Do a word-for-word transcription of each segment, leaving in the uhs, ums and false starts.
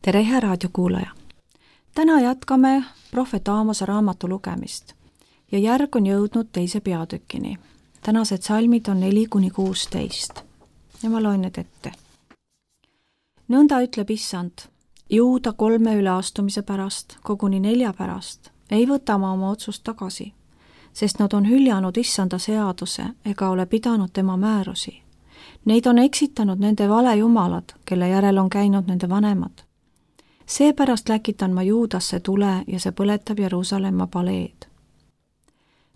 tere, hea raadiokuulaja! Täna jätkame prohvet Aamose raamatu lugemist ja järg on jõudnud teise peatükini. Tänased salmid on neli kuni kuusteist ja ma loen need ette. Nõnda ütleb Issand, Juuda kolme üleastumise pärast, koguni nelja pärast, ei võta ma oma otsust tagasi, sest nad on hüljanud Issanda seaduse ega ole pidanud tema määrusi. Neid on eksitanud nende valejumalad, kelle järel on käinud nende vanemad. Seepärast läkitan ma Juudasse tule ja see põletab Jeruusalemma paleed.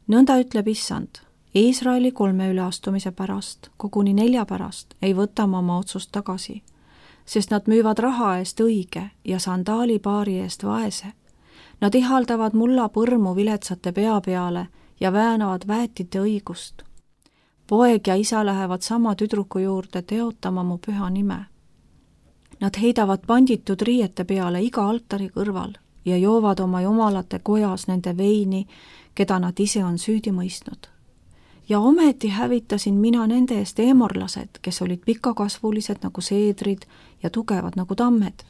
Nõnda ütleb Issand, Iisraeli kolme üleastumise pärast, koguni nelja pärast, ei võta ma oma otsust tagasi, sest nad müüvad raha eest õige ja sandaalipaari eest vaese. Nad ihaldavad mulla põrmu viletsate pea peale ja väänavad väetite õigust. Poeg ja isa lähevad sama tüdruku juurde teotama mu püha nime. Nad heidavad panditud riiete peale iga altari kõrval ja joovad oma jumalate kojas nende veini, keda nad ise on süüdi mõistnud. Ja ometi hävitasin mina nende eest eemorlased, kes olid pikakasvulised nagu seedrid ja tugevad nagu tammed.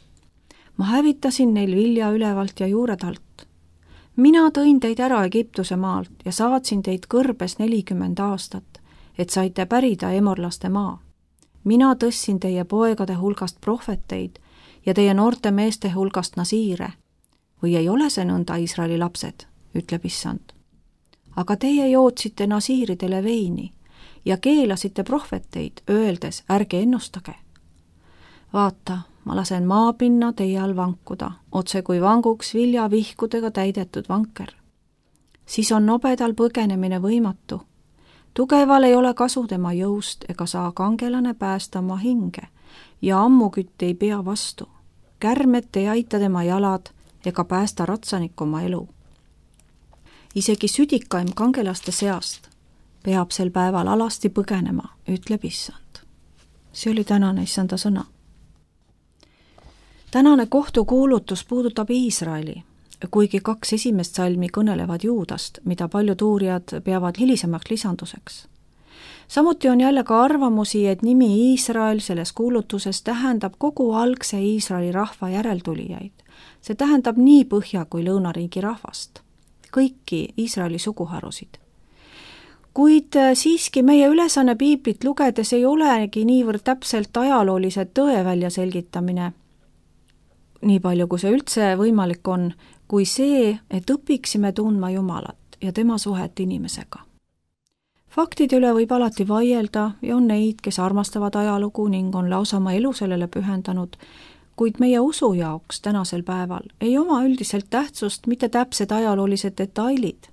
Ma hävitasin neil vilja ülevalt ja juuredalt. Mina tõin teid ära Egiptuse maalt ja saatsin teid kõrbes nelikümmend aastat, et saite pärida eemorlaste maa. Mina tõssin teie poegade hulgast prohveteid ja teie noorte meeste hulgast nasiire. Või ei ole see nõnda, Iisraeli lapsed, ütleb Issand. Aga teie jootsite nasiiridele veini ja keelasite prohveteid, öeldes, ärge ennustage. Vaata, ma lasen maapinna teie all vankuda, otse kui vanguks viljavihkudega täidetud vanker. Siis on nobedal põgenemine võimatu. Tugeval ei ole kasu tema jõust ega saa kangelane päästa oma hinge ja ammukütt ei pea vastu. Kärmet ei aita tema jalad ega päästa ratsanik oma elu. Isegi südikaim kangelaste seast peab sel päeval alasti põgenema, ütleb Issand. See oli tänane Issanda sõna. Tänane kohtukuulutus puudutab Iisraeli, kuigi kaks esimest salmi kõnelevad Juudast, mida paljud uurijad peavad hilisemaks lisanduseks. Samuti on jälle ka arvamusi, et nimi Iisrael selles kuulutuses tähendab kogu algse Iisraeli rahva järeltulijaid. See tähendab nii Põhja- kui Lõunariigi rahvast, kõiki Iisraeli suguharusid. Kuid siiski meie ülesanne piiblit lugedes ei olegi niivõrd täpselt ajaloolised tõe välja selgitamine, nii palju kui see üldse võimalik on, kui see, et õpiksime tundma Jumalat ja tema suhet inimesega. Faktide üle võib alati vaielda ja on neid, kes armastavad ajalugu ning on lausa oma elu sellele pühendanud, kuid meie usu jaoks tänasel päeval ei oma üldiselt tähtsust mitte täpsed ajaloolised detailid,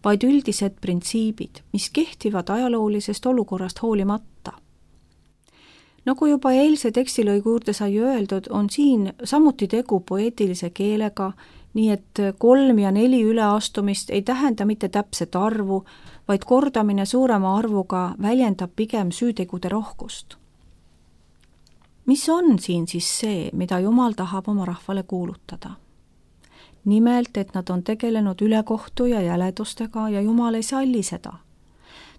vaid üldised printsiibid, mis kehtivad ajaloolisest olukorrast hoolimata. Nagu juba eilse tekstilõigu juurde sai öeldud, on siin samuti tegu poeetilise keelega, nii et kolm ja neli üleastumist ei tähenda mitte täpset arvu, vaid kordamine suurema arvuga väljendab pigem süütegude rohkust. Mis on siin siis see, mida Jumal tahab oma rahvale kuulutada? Nimelt, et nad on tegelenud ülekohtu ja jäledustega ja Jumal ei salli seda.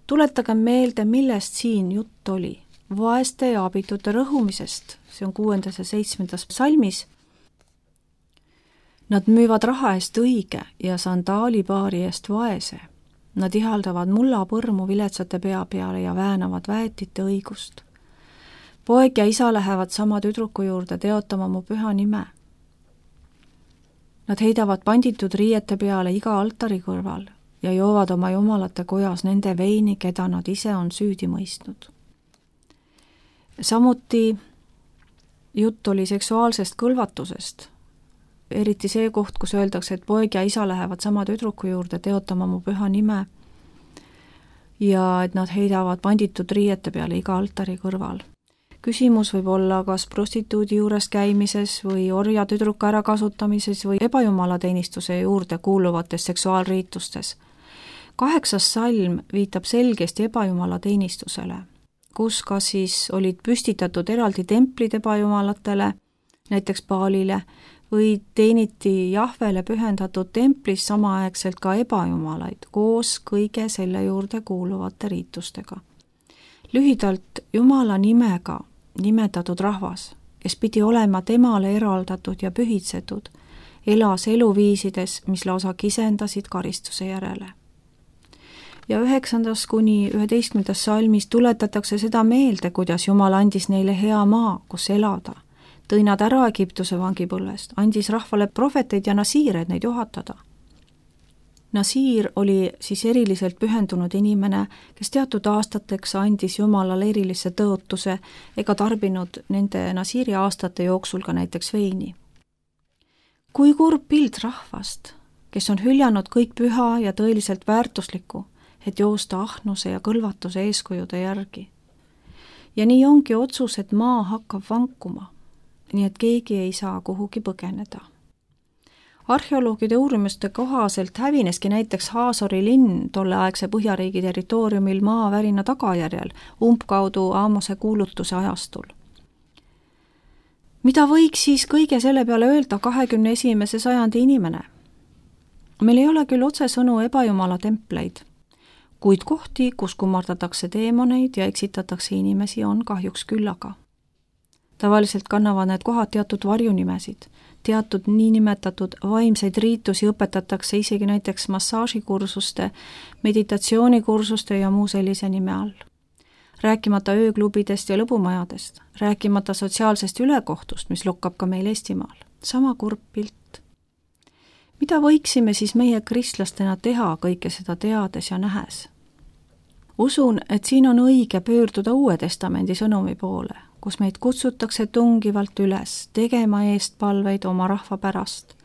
Tuletage meelde, millest siin jutt oli. Vaeste ja abitute rõhumisest, see on kuuendas ja seitsmendas salmis. Nad müüvad raha eest õige ja sandaalipaari eest vaese. Nad ihaldavad mulla põrmu viletsate pea peale ja väänavad väetite õigust. Poeg ja isa lähevad sama tüdruku juurde teotama mu püha nime. Nad heidavad panditud riiete peale iga altari kõrval ja joovad oma jumalate kojas nende veini, keda nad ise on süüdi mõistnud. Samuti jutt oli seksuaalsest kõlvatusest, eriti see koht, kus öeldakse, et poeg ja isa lähevad sama tüdruku juurde teotama mu püha nime ja et nad heidavad panditud riiete peale iga altari kõrval. Küsimus võib olla kas prostituudi juures käimises või orja tüdruka ärakasutamises või ebajumalateenistuse juurde kuuluvates seksuaalriitustes. Kaheksas salm viitab selgesti ebajumalateenistusele, kus ka siis olid püstitatud eraldi templid ebajumalatele, näiteks Baalile, või teeniti Jahvele pühendatud templis samaaegselt ka ebajumalaid koos kõige selle juurde kuuluvate riitustega. Lühidalt Jumala nimega nimetatud rahvas, kes pidi olema temale eraldatud ja pühitsetud, elas eluviisides, mis lausa kisendasid karistuse järele. Ja üheksandast kuni üheteistkümnendas salmis tuletatakse seda meelde, kuidas Jumal andis neile hea maa, kus elada, tõi nad ära Egiptuse vangipõlvest, andis rahvale prohveteid ja nasiire, et neid juhatada. Nasiir oli siis eriliselt pühendunud inimene, kes teatud aastateks andis Jumalale erilise tõotuse ega tarbinud nende nasiiri aastate jooksul ka näiteks veini. Kui kurb pild rahvast, kes on hüljanud kõik püha ja tõeliselt väärtuslikku, et joosta ahnuse ja kõlvatuse eeskujude järgi. Ja nii ongi otsus, et maa hakkab vankuma, nii et keegi ei saa kuhugi põgeneda. Arheoloogide uurimuste kohaselt hävineski näiteks Haasori linn tolleaegse Põhjariigi territooriumil maavärina tagajärjel umbkaudu Aamose kuulutuse ajastul. Mida võiks siis kõige selle peale öelda kahekümne esimese sajandi inimene? Meil ei ole küll otsesõnu ebajumala templeid, kuid kohti, kus kummardatakse teemoneid ja eksitatakse inimesi, on kahjuks küllaga. Tavaliselt kannavad need kohad teatud varjunimesid, teatud niinimetatud vaimseid riitusi õpetatakse isegi näiteks massaažikursuste, meditatsioonikursuste ja muu sellise nime all. Rääkimata ööklubidest ja lõbumajadest, rääkimata sotsiaalsest ülekohtust, mis lokkab ka meil Eestimaal. Sama kurb pilt. Mida võiksime siis meie kristlastena teha kõike seda teades ja nähes? Usun, et siin on õige pöörduda Uue Testamendi sõnumi poole, kus meid kutsutakse tungivalt üles tegema eestpalveid oma rahva pärast,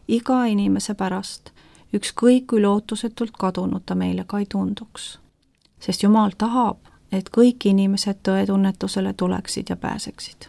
iga inimese pärast, ükskõik kui lootusetult kadunud ta meile ka ei tunduks. Sest Jumal tahab, et kõik inimesed tõetunnetusele tuleksid ja pääseksid.